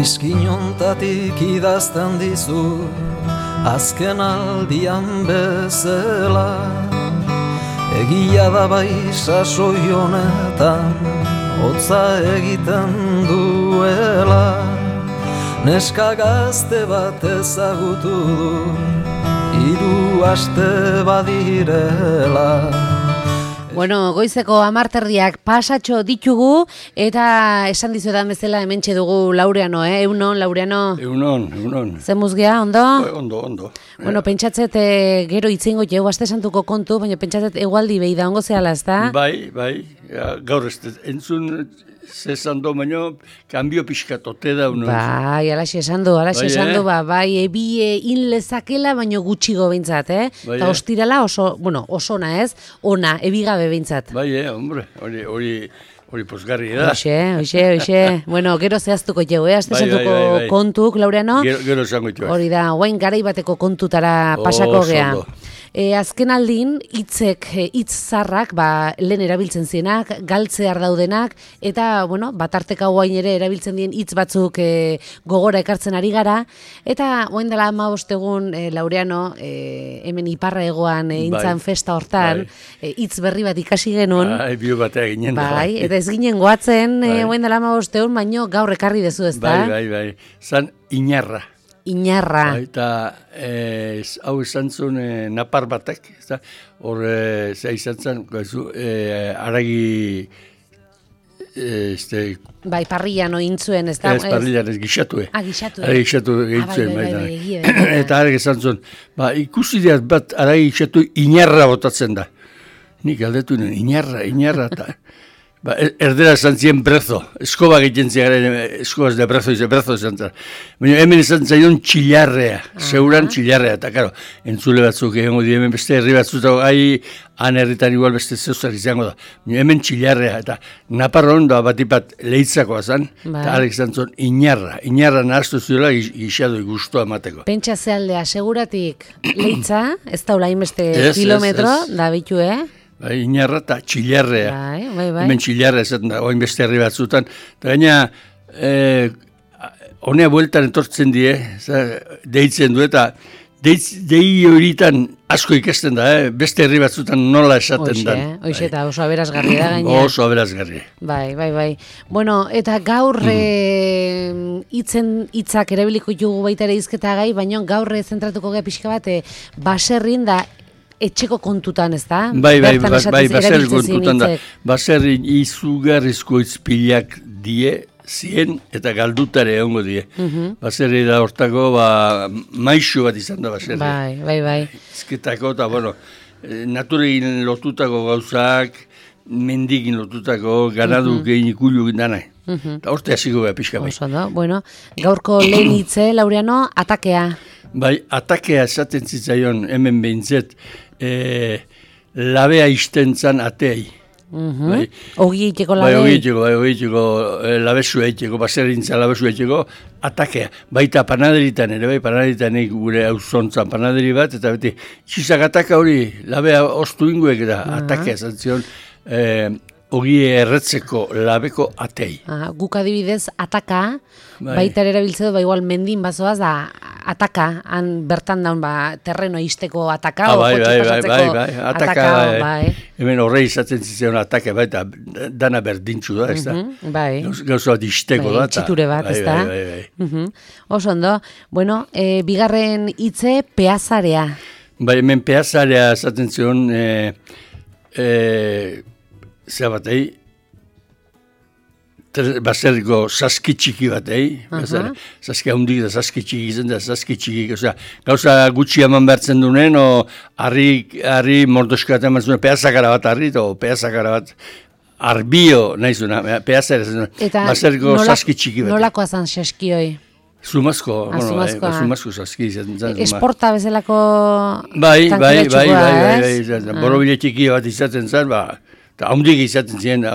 Iskinontatik idazten dizu azken aldian bezala. Egia da bai sasoi honetan hotza egiten duela. Neska gazte bat ezagutu du 3 aste badirela. Bueno, goizeko 10:00 pasatxo ditugu eta esan dizuetan bezala hementxe dugu Laureano, Eunon, Laureano? Eunon. Zemuz gea, ondo? Ondo. Bueno, pentsatzet gero itzingo jau aste santuko kontu, baina pentsatzet egualdi behi da ongo zehala, ezta? Bai, gaur ez entzun zezan do, baino, kanbio pixkatote da. Bai, alaxe esan du, bai, ebi inlezakela, baino gutxigo behintzat, Eta ostirala oso ona ez, ona, ebigabe behintzat. Bai, hombre, hori posgarri da. Hoxe. Bueno, gero zehaztuko jau, aste santuko kontuk, Laureano? Gero esango itu. Hori da, guain garaibateko kontutara pasako gea. Azken aldin, hitz zarrak, lehen erabiltzen zienak, galtzear daudenak, eta, batarteka guain ere erabiltzen dien hitz batzuk gogora ekartzen ari gara, eta guain dela 15 egun, Laureano, hemen iparra egoan intzan festa hortan, hitz berri bat ikasi genuen. Bio batea ginen da. Bai, eta ez ginen goatzen, guain dela 15 egun, baino gaur ekarri dezu ez da? Bai. Zan Iñarra. Eta hau izan zuen napar batek, hor izan zen, aragi... Bai, parrillan ointzuen, ez da? Ez parrillan, ez gixatue. Gixatue. Aragi gixatu gehitzuen, eta aragi izan zuen. Ikusi diat bat aragi gixatu Iñarra botatzen da. Nik aldetu nuen, Iñarra, eta... Erdera esan zien brezo, eskoba egiten ziaren, eskobaz de brezo izan zen. Baina hemen izan zaion txilarrea, seuran txilarrea, eta karo, entzule batzuk egongo di, hemen beste herri batzuk, han herritan igual beste zeuzak izango da. Baina hemen txilarrea, eta naparron da batipat leitzakoa zen, eta arek izan zuen Iñarra nahaztu zuela gixadu guztua emateko. Pentsa zealdea, seguratik leitza, ez daula inbeste kilometro, da bitu, Iñarra eta txilarrea. Bai. Hemen txilarrea esaten da, oin beste herri batzutan. Eta gaina, honea bueltan etortzen die, deitzen du, eta dei horitan asko ikasten da, beste herri batzutan nola esaten da. Hoxe, eta oso aberazgarri da gaina. Oso aberazgarri. Bai. Bueno, eta gaur hitzak erabiliko ditugu baita ere hizketa gai, baina gaur zentratuko gea pixka bat, baserrin da, etxeko kontutan, ez da? Bai, baserri kontutan da. Baserri izugarrizko izpilak die, zien eta galdutare egongo die. Baserri da hortako, maixu bat izan da baserri. Bai. Izketako, eta, naturegin lotutako gauzak, mendigin lotutako, ganadu gehin ikulu dana. Eta horte hasiko beha pixka bai. Gaurko lehen hitze, Laureano, atakea. Bai, atakea esaten zitzaion hemen behintzet, labea iztentzan atei. Ogi eiteko labe? Bai, ogi eiteko labezu eiteko, baserrintza labezu eiteko, atakea. Baita panaderitan ere, panaderitan gure auzontzan panaderi bat, eta beti, txizak ataka hori, labea ostu inguek da, atakea zantzion, ogi erretzeko labeko atei. Guk adibidez, ataka, baita erabiltze du, igual mendin bazoaz, da ataka, han bertan daun, terreno izteko ataka, bai, ataka, bai. Hemen horre izaten zitzen ataka, baita dana berdintxu da, ez da? Gauza bat izteko da. Txiture bat, ez da? Bai. Oso ondo, bigarren hitze, peazarea. Bai, hemen peazarea izaten zion, zera batei, baserriko saski txiki batei, saski handik da saski txiki izan da, saski txiki, gauza gutxi eman behartzen duen, harri mordoska eman zuen, peazakara bat harri, peazakara bat arbio nahi zuen, peazara zuen, baserriko saski txiki bat. Nolakoa zan saskioi? Zumazko saski izan zen. Esporta bezalako tankera txikoa, ez? Borobile txiki bat izaten zen, eta handik izaten zen,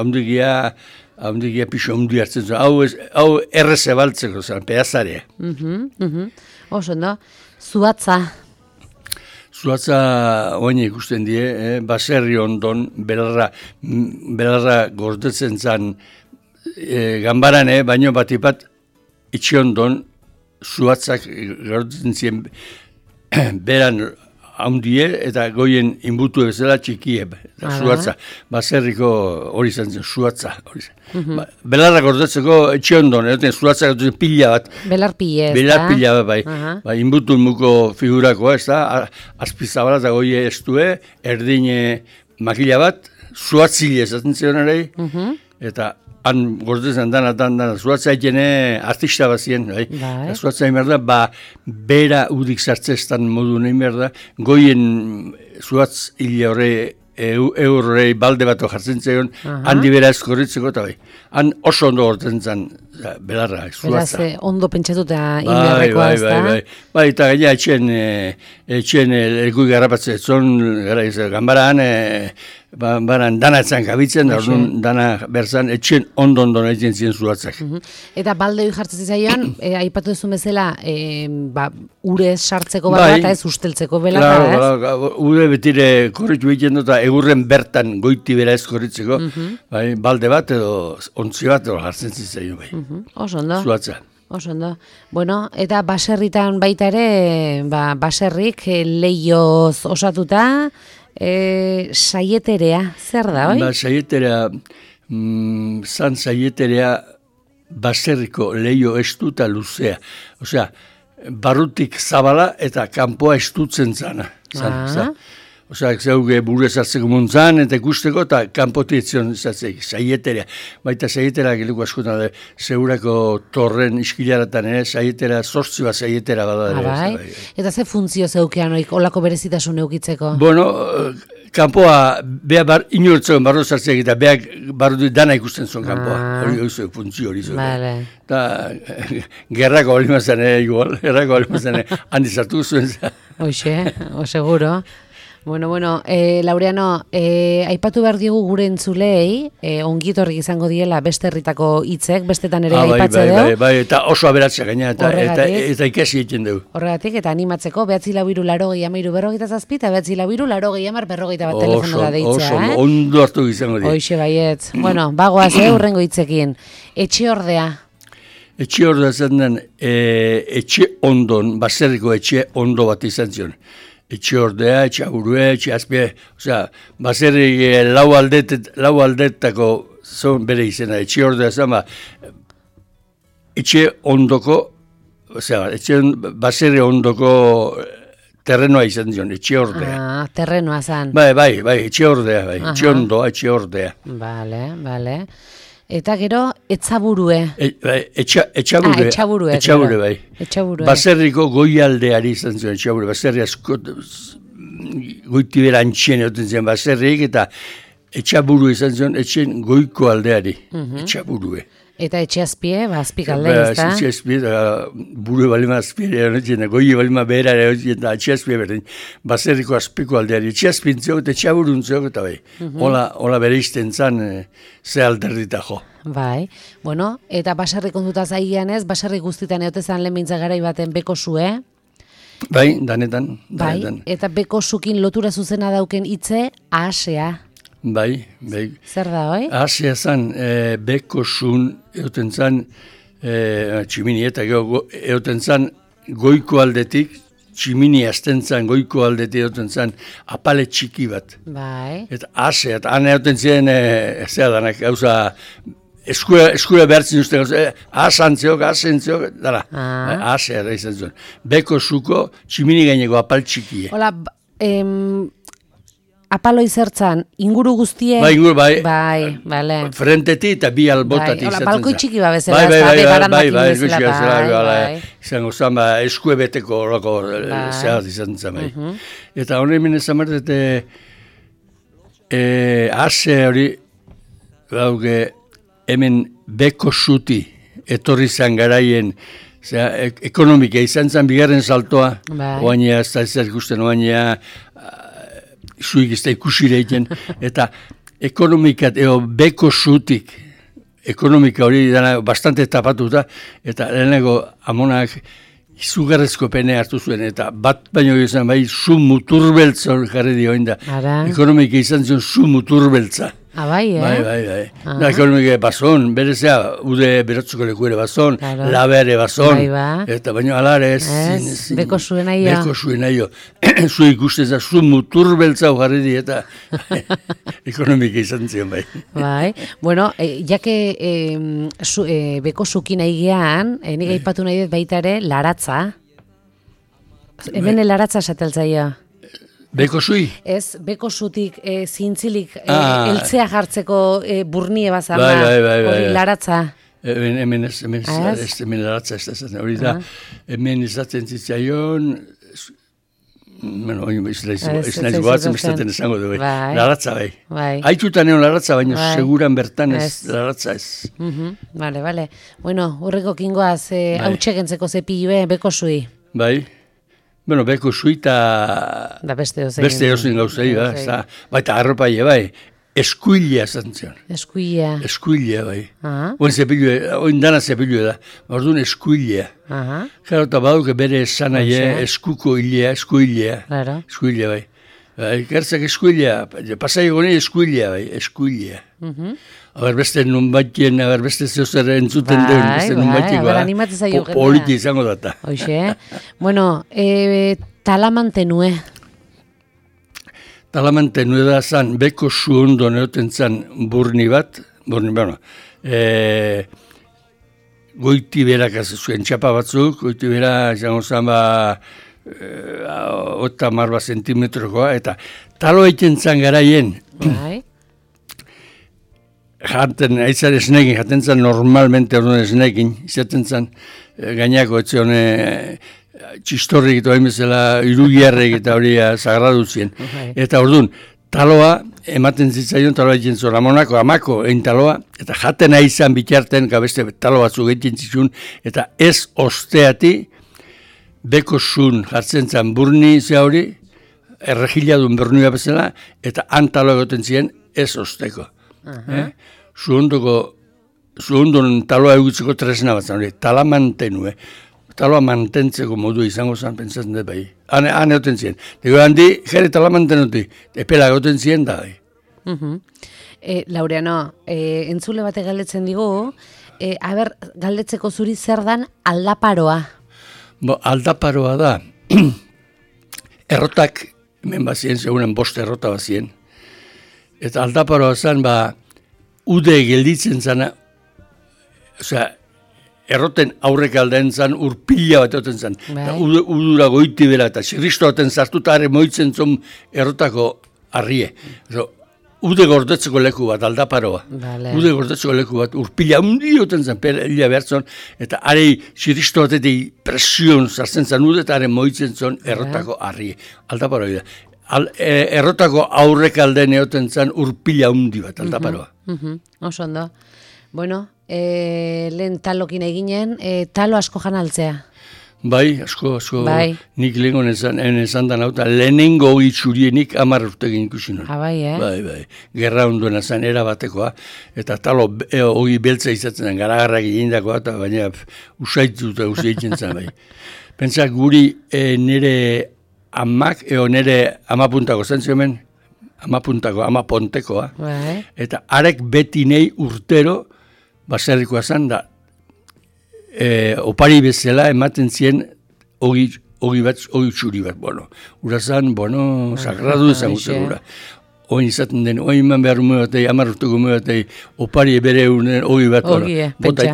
handikia pixo handi hartzen zuen, hau erreze baltzeko zen, peazarea. Oso, no? Zuatza. Zuatza oine ikusten die, baserri ondon, belarra gordetzen zen, gambaran, baino batipat etxiondon zuhatzak garotzen ziren beran haundie eta goien inbutu bezala txikie. Zuhatza, baserriko hori izan zen, zuhatza. Belarrak ordetzeko etxiondon, zuhatzak pila bat. Belarpile, ez da? Belarpila bat, bai. Inbutu muko figurakoa, ez da? Azpizabala eta goie estue, erdine makila bat, zuhatzile esaten zion ere, eta han gordezen dana zuhatza egene artista bazien, bai. Zuhatza egin behar da, bera udik sartzeztan modu nahi behar da, goien zuhatz hile horre eurrei balde bat jartzen zegoen, handi bera eskorritzeko eta bai. Han oso ondo gortzen zen belarra, zuhatza. Beraz, ondo pentsatuta inberrekoa, ez da? Bai, eta gaina etxen elgui garrapatze, gambaran, baran danatzen gabitzen, dana berzan etxen ondo egiten ziren zuhatzak. Eta balde hori jartzen zizaion, aipatu duzu bezala, ure sartzeko bat eta ez usteltzeko belarra, ez? Claro, ure betire korritu egiten dut, egurren bertan goiti bera ez korritzeko, balde bat edo ontzi bat edo jartzen zizaion, bai. Oso ondo. Zuhatza. Oso ondo. Bueno, eta baserritan baita ere, baserrik leioz osatuta, saieterea, zer da, oi? Saieterea, saieterea baserriko leio estuta luzea. Osea, barrutik zabala eta kanpoa estutzen zana. Osea, zeuge buru ezartzeko muntzan eta ikusteko eta kanpotietzen zatzek, saieterea. Baita saietera geliko askotan zeurako torren iskilaratan ere, saietera, zortzi bat saietera bada. Eta ze funtzio zeukean oik, olako berezitasun eukitzeko? Bueno, kanpoa, beha inortzean barro zartzeak eta beha barro dana ikusten zuen kanpoa. Hori funtzio hori zuen. Eta gerrako hori mazan igual, gerrako hori mazan handi zartu zuen. Hoxe, seguro. Bueno, Laureano, aipatu behar diogu gure entzulei, ongitorrik izango diela beste herritako hitzek, bestetan ere aipatze dugu. Bai, eta oso aberatza gaina, eta ikasi egiten dugu. Horregatik, eta animatzeko, 944-80-47, eta 944-80-40 telefono da deitza. Oso, ondo hartu izango dira. Hoxe baietz. Bueno, bagoaz, urrengo hitzekin. Etxe ordea. Etxe ordea zen den, etxe ondon, baserriko etxe ondo bat izan zion. Etxe ordea, etxe aburue, etxe azpie, osea, baserri lau aldetako zon bere izena, etxe ordea zen, etxe ondoko, osea, baserri ondoko terrenoa izan zion, etxe ordea. Terrenoa zen. Bai, etxe ordea, etxe ondoa, etxe ordea. Bale. Eta gero, etzaburue. Etxaburue, bai. Baserriko goialdeari izan zuen, etxaburue. Baserri asko, goitibera antxien egoten zen baserriik, eta etxaburu izan zuen, etxen goiko aldeari, etxaburue. Eta etxe azpie, azpik alde, ez da? Etxe azpie, buru balima azpie, goi balima behera, eta etxe azpie berdin. Baserriko azpiko aldeari, etxe azpintzeok eta etxe aburuntzeok, eta bai. Hola bere izten zan, ze alderdita jo. Bai, bueno, eta baserri kontuta zaigian ez, baserri guztitan eotezan lehen mintza garai baten beko zue. Bai, danetan. Bai, eta beko zukin lotura zuzena dauken hitze, ahasea. Bai. Zer da, oi? Ahasea zan, beko zun, egoten zan, tximini eta egoten zan, goiko aldetik, tximini azten zan, goiko aldetik egoten zan, apale txiki bat. Bai. Eta ahasea, eta han egoten ziren, zera danak, gauza, eskura behartzen uste, ahasentzeok, dara, ahasea da izan zuen. Beko zuko, tximini gaineko apal txikie. Hola, apalo izertzan, inguru guztie? Bai, inguru, bai. Bai, bale. Frenteti eta bi albotati izaten zen. Balko txiki ba bezala, bai. Izango zan, eskue beteko horako zehaz izaten zen, bai. Eta hori hemen ezan berdet, ase hori, dauke, hemen beko zuti, etorri zan garaien, ekonomika izan zen bigarren saltoa, oainea, ez da ez ikusten, oainea, zuik ez da ikusire egiten, eta ekonomikat, beko zutik, ekonomika hori dana bastante tapatuta, eta lehenako amonak izugarrezko pene hartu zuen, eta bat baino izan bai, zu muturbeltza hori jarri dioen da. Ekonomika izan zuen zu muturbeltza. Bai, Bai. Da, ekonomike bazon, berezea, ude beratzuko leku ere bazon, labe ere bazon, eta baino alare ez. Beko zuen aio. Beko zuen aio. Zu ikustez da, zu mutur beltza jarri di, eta ekonomike izan zion bai. Bai, bueno, jake beko zukin aigean, nik aipatu nahi dut baita ere, laratza. Hemen laratza sateltzaia. Beko zui? Ez, beko zutik zintzilik eltzea jartzeko burnie bazan da, hori laratza. Hemen laratza ez da, hori da, hemen izaten zitzaion, bueno, ez naiz goatzen bestaten esango du, laratza bai. Haitutan egon laratza, baina seguran bertan ez laratza ez. Bale. Bueno, urreko kingoaz, hau txekentzeko zepilue, beko zui. Bai. Bueno, beko zuita beste ozen gauzei, baita arropai, bai, eskuilea zantzion. Eskuilea, bai. Oin dana zepilue da, orduan eskuilea. Jaro eta baduke bere esanaie, eskuko hilea, eskuilea, bai. Gertzak eskuilea, pasai goni eskuilea, bai, eskuilea. Aber beste nun batien, beste zehozer entzuten duen, beste nun batien, politi izango data. Hoxe, bueno, talamantenue. Talamantenue da zan, beko zuondo neoten zan burni bat, goiti berak zuen txapa batzuk, goiti berak, izango zan, ota marba zentimetrokoa, eta talo egiten zan garaien, jaten, aitzare esnekin, jaten zan normalmente orduan esnekin, izaten zan gainako etzion txistorrik eta hainbezela irugiarrek eta hori sagradu zien. Eta orduan, taloa ematen zitzaion, taloa egiten zuen amonako, amako egin taloa, eta jaten aizan bitarten, beste talo batzuk egiten zitzun, eta ez osteati, beko zun jartzen zan burni ze hori, erregiladun bernua bezala, eta han taloa egoten ziren ez osteko. Zuondon taloa egutzeko tresna bat zan, talamantenue. Taloa mantentzeko modu izango zan, pentsatzen dut bai. Han egoten ziren. Dego handi, jere talamantenuti, epela egoten ziren da bai. Laureano, entzule batek galdetzen digu, galdetzeko zuri zer dan aldaparoa? Aldaparoa da, errotak, hemen bazien, segunen 5 errota bazien, eta aldaparoa zen, ude gelditzen zana, erroten aurrek aldean zan, urpila bat oten zan. Udura goiti bera, eta xirristo baten zartuta are moitzen zon errotako arrie. Ude gordetzeko leku bat, aldaparoa. Ude gordetzeko leku bat, urpila hundi oten zan, pelia behar zon, eta are xirristo batetik presion zartzen zan ude, eta are moitzen zon errotako arrie. Aldaparoa da. Errotako aurrek aldean egoten zan urpila hundi bat, aldaparoa. Oso ondo. Bueno, lehen talokin eginen, talo asko jan altzea. Bai, asko, nik lehenko esan da nauta, lehenengo itxurienik 10 urtegin ikusi nuen. Bai, gerra onduena zen erabatekoa, eta talo hori beltza izatzen zen, garagarrak egindakoa, eta baina usaitu eta usaitzen zen, bai. Pentsa guri nire amak, nire amapuntako zen ziomen, amapontekoa, eta arek beti nei urtero, baserrikoa zen da, opari bezala ematen zien ogi txuri bat, urazan, sagradu ezan gute gura. Oin izaten den, oin man behar ume batei, 10 urteko ume batei, opari bere unen ogi bat,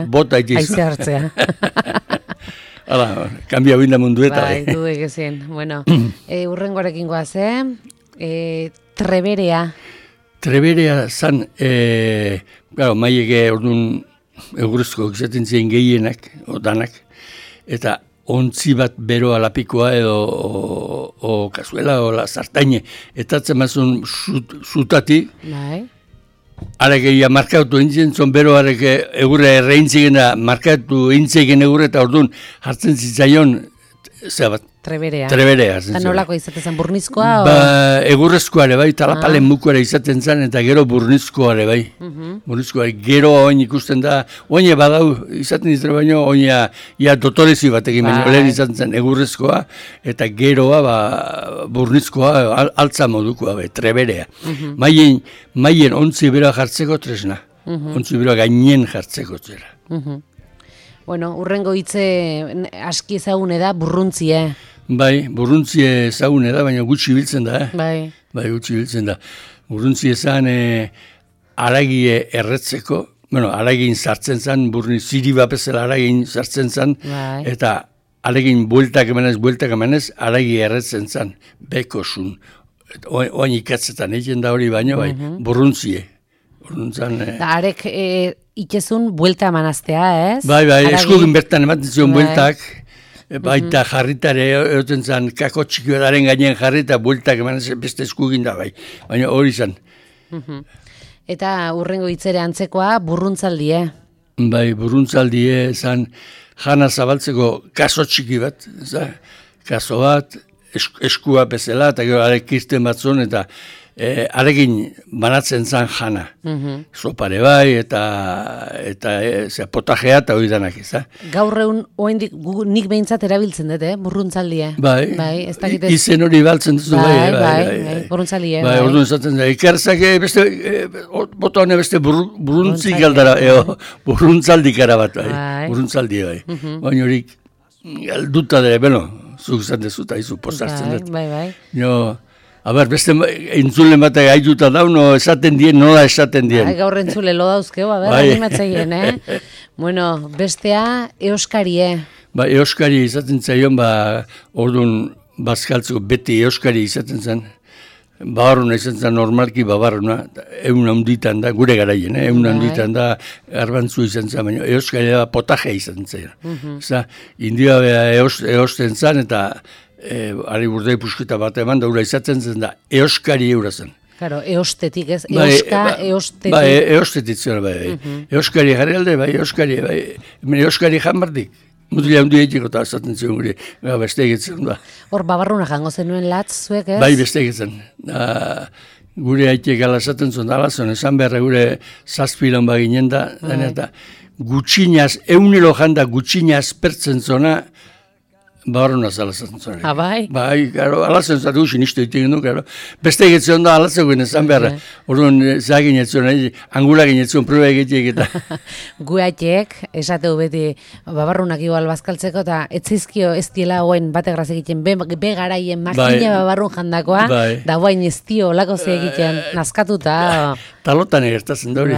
bota itizu. Aize hartzea. Hala, kambia binda mundu eta. Bai, dudek ezin. Bueno, urrengoarekin goaz, Treberea. Treberea zan, maieke orduan eguruzko izaten ziren gehienak, danak, eta ontzi bat beroa lapikoa edo kazuela o sartaine, eta zemazun zutati, arekeia markatu intzen, zon bero areke egurre erreintzigen da, markatu intzeigen egurre, eta orduan hartzen zitzaion Zea bat. Treberea. Treberea. Eta nolako izaten burnizkoa? Egurrezkoa ere bai, talapalen mukoare izaten zen, eta gero burnizkoa ere bai. Burnizkoa, gero oin ikusten da, oin badau izaten ditre baino, oin ia dotorezi batekin baino, lehen izaten zen egurrezkoa, eta geroa burnizkoa altza modukoa, treberea. Maien ontzi beroa jartzeko tresna. Ontzi beroa gainen jartzeko zera. Bueno, urrengo hitze aski ezagune da burruntzie. Bai, burruntzie ezagune da, baina gutxi biltzen da. Bai, gutxi biltzen da. Burruntzie ezan aragie erretzeko, aragin sartzen zan, ziri bapezela aragin sartzen zan, eta aregin bueltak emanez, aragi erretzen zan, bekosun. Oain ikatzetan egin da hori baino, bai, burruntzie. Arek itxezun buelta emanaztea, ez? Bai, eskugin bertan ematen zion bueltak, baita jarritare egoten zan, kako txikioetaren gainean jarri eta bueltak emanaz beste eskugin da, bai. Baina hori zan. Eta urrengo hitzere antzekoa burruntzaldie. Bai, burruntzaldie zan jana zabaltzeko kaso txiki bat, kaso bat, eskua bezala, eta gero arek kirten batzun, eta arekin banatzen zan jana. Sopare bai, eta potajea eta hori danak ez. Gaur egun nik behintzat erabiltzen dut, burruntzaldie. Bai, izen hori baltzen duzu, bai, burruntzaldie. Bai, orduan zaten da, ikarzak bota hone beste burruntzik aldara, burruntzaldikara bat, burruntzaldie bai. Baina horik, galduta dira, zuk zaten zuta izu postartzen dut. Bai. Beste entzulen batak haituta dauno, esaten dien, nola esaten dien. Gaur entzule lo dauzkeu, animatzeien, Bueno, bestea, euskarie. Euskari izaten zaion, orduan bazkaltzeko beti euskari izaten zen. Babarruna izan zen normalki babarruna, egun handitan da, gure garaien, egun handitan da, garbantzu izan zen, baina euskari da potajea izan zen. India eosten zen, eta ari burdei pusketa bat eman, daura izaten zen da, euskari eura zen. Claro, eostetik ez, eostetik. Eostetik zen, euskari jarri alde, euskari janbardik. Mutila hundi egiteko eta azaten zion guri, beste egitzen da. Hor babarruna jango zenuen latz zuek, ez? Bai, beste egitzen. Gure haitiek alazaten zuen alazon, esan beharra gure zazpilon baginen da, eta gutxinaz, eunero janda gutxinaz pertzen zona, babarruna zalazaten zuen. Bai? Bai, alazen zatu usin isto egiten du, beste egitzen da alazegoen esan beharra. Orduan, zagin etzen, angulagin etzen, proba egiteek eta. Guatiek, esateu beti, babarrunak igual bazkaltzeko, eta etzizkio ez diela hoen bate graz egiten, begaraien makina babarrun jandakoa, da guain ez dio olako ze egiten, nazkatuta. Talotan egertazen da hori.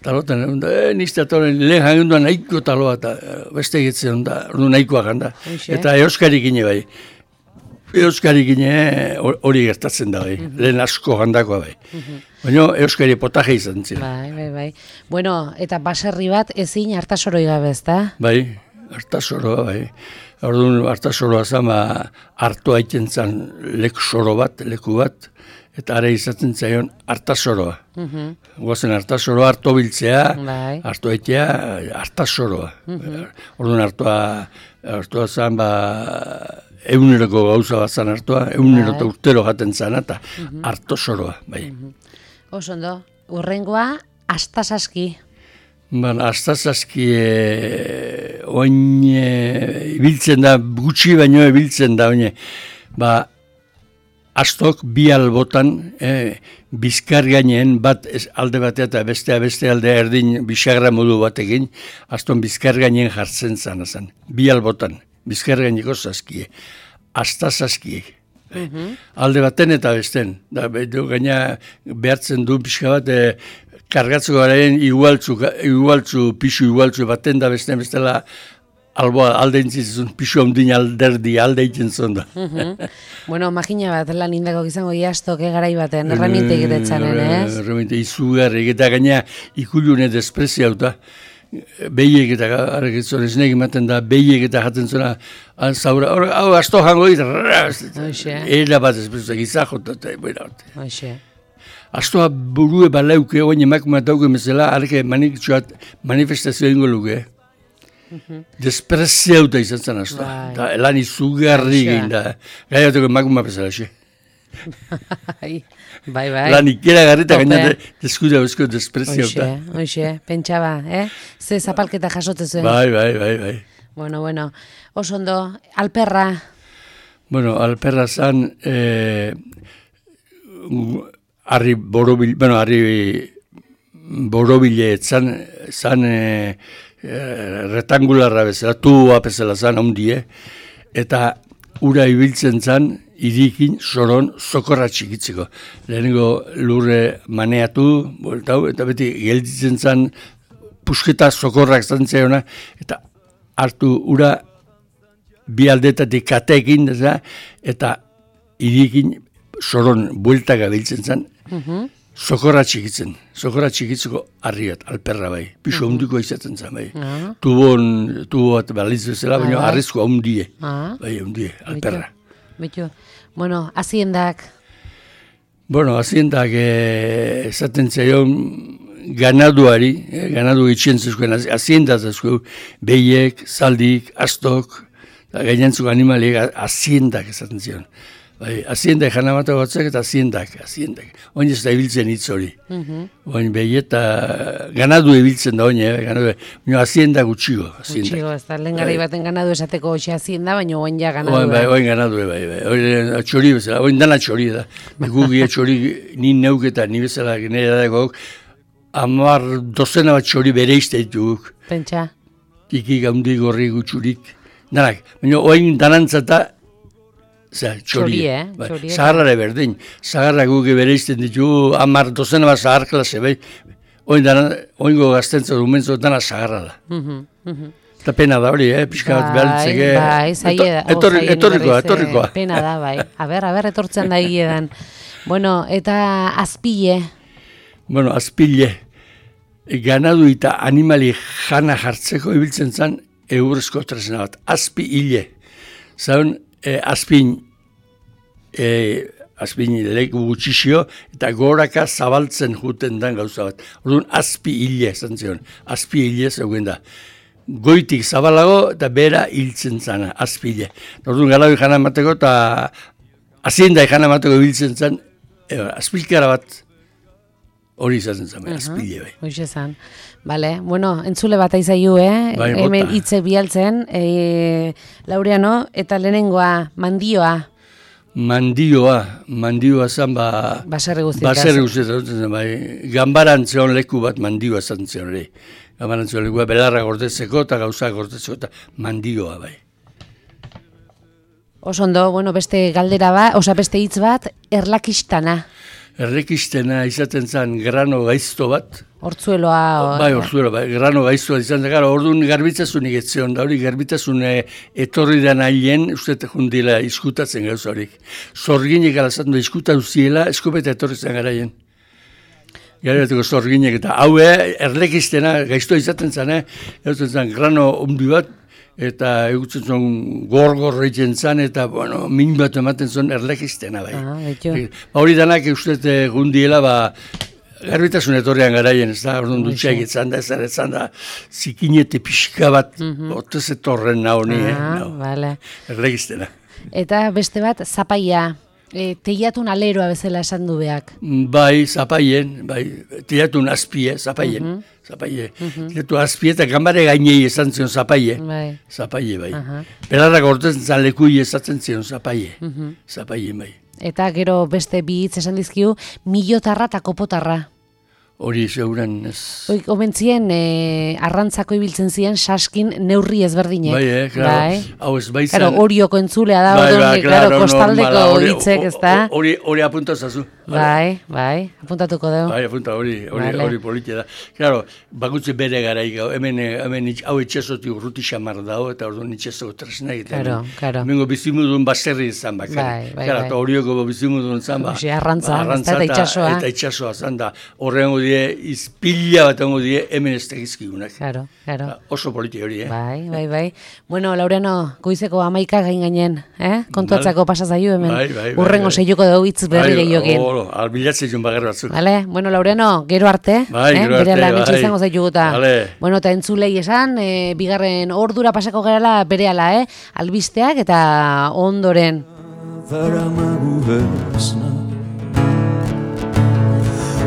Talotan, nizte atoren, lehen jangunduan nahiko taloa, eta beste egitzen da, nahikoa janda. Eta euskari gine bai. Euskari gine hori gertatzen da bai. Lehen asko jandakoa bai. Baina euskari potaje izan ziren. Bai. Bueno, eta baserri bat ezin hartasoroi gabe, ezta? Bai, hartasoroa bai. Orduan hartasoroa zan, hartu haiten zan leku bat, eta are izaten zaion hartasoroa. Guazen hartasoroa hartu biltzea, hartu haitea hartasoroa. Orduan hartua zan, eguneroko gauza bat zan hartua, egunero eta urtero jaten zan, eta hartosoroa. Osondo, urrengoa, astasaski. Astasaski oin ibiltzen da, gutxi baino ibiltzen da, astok bi albotan, bizkar gainean bat alde batea eta beste alde erdin bisagra modu batekin, aston bizkar gainean jartzen zan. Bi albotan, bizkar gaineko saskie, astasaskie. Alde baten eta besten. Gaina behartzen du pixka bat, kargatzeko garaien pisu igualtzu baten da bestela, alboa alde intzizun, pisu ondin alde egiten zuen da. Bueno, makina bat lan indako izango iastok garai baten, erraminte egitetzanen, ez? Erraminte izugarri, eta gaina ikulune despreziauta, behiek eta arrekitzen esnek ematen da, behiek eta jaten zuena, hau asto jango ditu, era bat espreziak izahot, eta astoa burue baleuke, oin emakumat dauke mesela, arke manifestazio ingo luke. Despreziauta izan zen azta. Lan izugarri egin da. Gaiateko emakumea bezala, xe. Bai. Lan ikera garrita gaina deskuda bezko despreziauta. Hoxe, pentsaba, Ze zapalketa jasote zuen. Bai. Bueno, oso ondo, alperra. Bueno, alperra zan, harri borobile zan retangularra bezala, tubua bezala zan, ondie, eta ura ibiltzen zan, irikin soron sokorra txikitzeko. Lehenengo lurre maneatu, eta beti gelditzen zan, pusketa sokorrak zantzeona, eta hartu ura bi aldetatik katekin, eta irikin soron bueltaka biltzen zan, sokorra txikitzeko harri bat, alperra bai, piso hundiko izaten zen bai. Tubo bat balitz bezala, baina harrizko hundie, bai, hundie, alperra. Bueno, haziendak? Bueno, haziendak esaten zaion ganaduari, ganadu itxien zezkoen, haziendak zezkoen, behiek, zaldik, astok, gainantzuk animaliek haziendak esaten zion. Haziendak janamata batzak eta haziendak. Oin ez da ibiltzen hitz hori. Oin behi eta ganadu ibiltzen da oin, haziendak utxigo. Utxigo, ez da lehen garai baten ganadu esateko hoxe hazienda, baina oin ja ganadu. Oin ganadu, bai. Oin txori bezala, oin dana txori da. Gugia txori ni neuk eta ni bezala nire dago, 10 bat txori bere izteituguk. Pentsa? Tiki gaundik gorri gutxurik. Danak, baina oin danantzata, txori, zaharrara berdin. Zaharra guke bere izten ditu, 10 bat zahar klase, bai. Oingo gaztentza dumentzo dana zaharra da. Eta pena da hori, pixka bat behaltzeke. Etorrikoa. Pena da, bai. Aber, etortzen da egiedan. Bueno, eta azpile? Bueno, azpile. Ganadu eta animali jana jartzeko ibiltzen zen eurrezko tresna bat. Azpi hile. Zaun, azpin leku gutxixio eta goraka zabaltzen juten den gauza bat. Orduan, azpi hile, zantzion. Azpi hile zegoen da. Goitik zabalago eta bera hiltzen zana, azpi hile. Orduan, galabi jana emateko eta aziendai jana emateko ibiltzen zen, azpilkara bat hori izaten zen, azpi hile bai. Hoxe zan. Bale, bueno, entzule bat aizaio, hemen hitze bialtzen, Laureano, eta lehenengoa, mandioa. Mandioa zan, baserri guztietan, bai, gambarantzeon leku bat mandioa zan zion, gambarantzeon leku bat belarra gordetzeko eta gauza gordetzeko eta mandioa, bai. Osondo, bueno, beste galdera beste hitz bat, erlakistana. Errekistena izaten zen grano gaizto bat. Hortzueloa. Bai, grano gaiztoa izan zen. Orduan garbitzazunik etzion da hori, garbitzazun etorri da nahien, uste jundila izkutatzen gauza horik. Zorginek alazatu da izkuta uziela, eskopeta etorri zen garaien. Garaiteko zorginek eta hau errekistena gaiztoa izaten zen, grano ondi bat, eta egutzen zuen gor egiten zen, eta, bueno, min bat ematen zuen erlekistena, bai. Hori danak uste gundiela, garbitasun etorrean garaien, ez da, orduan dutxeak etzan da, zikinete pixka bat, otez etorren nahi, erlekistena. Eta beste bat, zapaia. Teiatun aleroa bezala esan du beak. Bai, zapaien, teiatun azpie, zapaien. Teiatu azpie eta gambare gainei esan zion zapaie. Zapaie, bai. Belarrak ortezen zan lekui esatzen zion zapaie. Zapaien, bai. Eta gero beste bi hitz esan dizkiu, milotarra eta kopotarra. Hori zeuren ez... Omentzien, arrantzako ibiltzen ziren saskin neurri ezberdinek. Bai, klaro. Hau ez baitzen... Klaro, horioko entzulea da, kostaldeko hitzek, ez da? Hori apuntazazu. Bai, apuntatuko dugu. Bai, hori politia da. Klaro, bakutze bere garaik, hemen hau etxezotik urruti xamar dago, eta orduan etxezoko tresna egiten. Karo. Hemengo bizimudun baserri izan bakar. Klaro, eta horioko bizimudun izan, arrantza, eta itxasoa. Eta itxasoa zan da, horrengo izpila bat ongo die, hemen ez tegizkigunak. Claro. Oso politi hori, Bai. Bueno, Laureano, goizeko 11 gainen, kontuatzako pasazaiu hemen. Urrengo seiuko dugu hitz berri gehiokin. Albilatzen joan bagar batzuk. Vale, bueno, Laureano, gero arte. Gero arte, bere lan etxe izango zaituguta. Bueno, eta entzulei esan, bigarren ordura pasako gerala berehala, albisteak eta ondoren.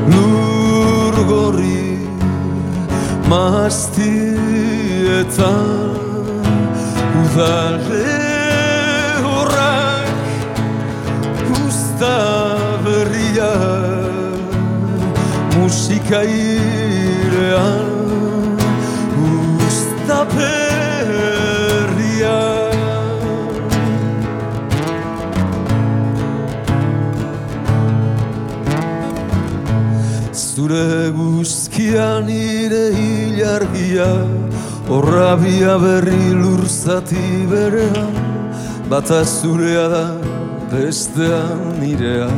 Lur gorri maztietan udale horrak usta berriak musika irean usta berriak zure guzkian nire hilargia horrabia berri lurzati berean bata zurea da bestean nirea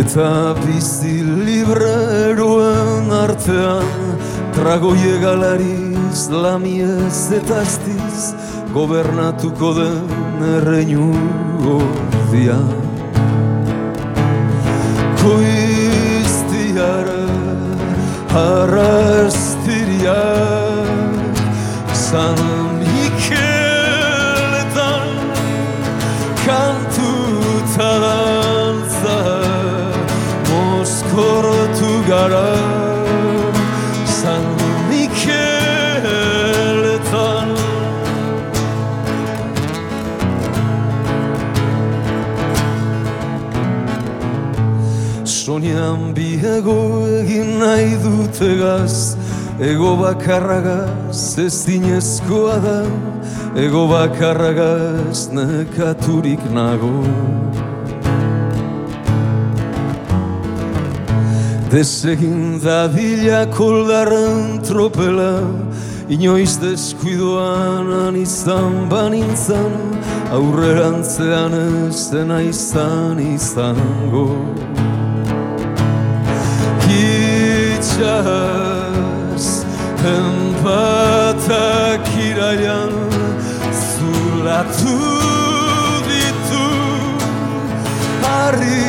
eta bizi libreroen artean tragoie galariz lamiez eta aztiz gobernatuko den erreinu ordian koiztiara harrastiriak San Mikeletan kantuta dantza mozkortu gara San Mikeletan Soñan biego egin nahi dutegaz ego bakarragaz ez dinezkoa da ego bakarragaz nekaturik nago desegin dadila koldarren tropela inoiz deskuidoan izan banintzan aurrerantzean ez dena izango Itxaz, enpatak iraian zulatu ditu harri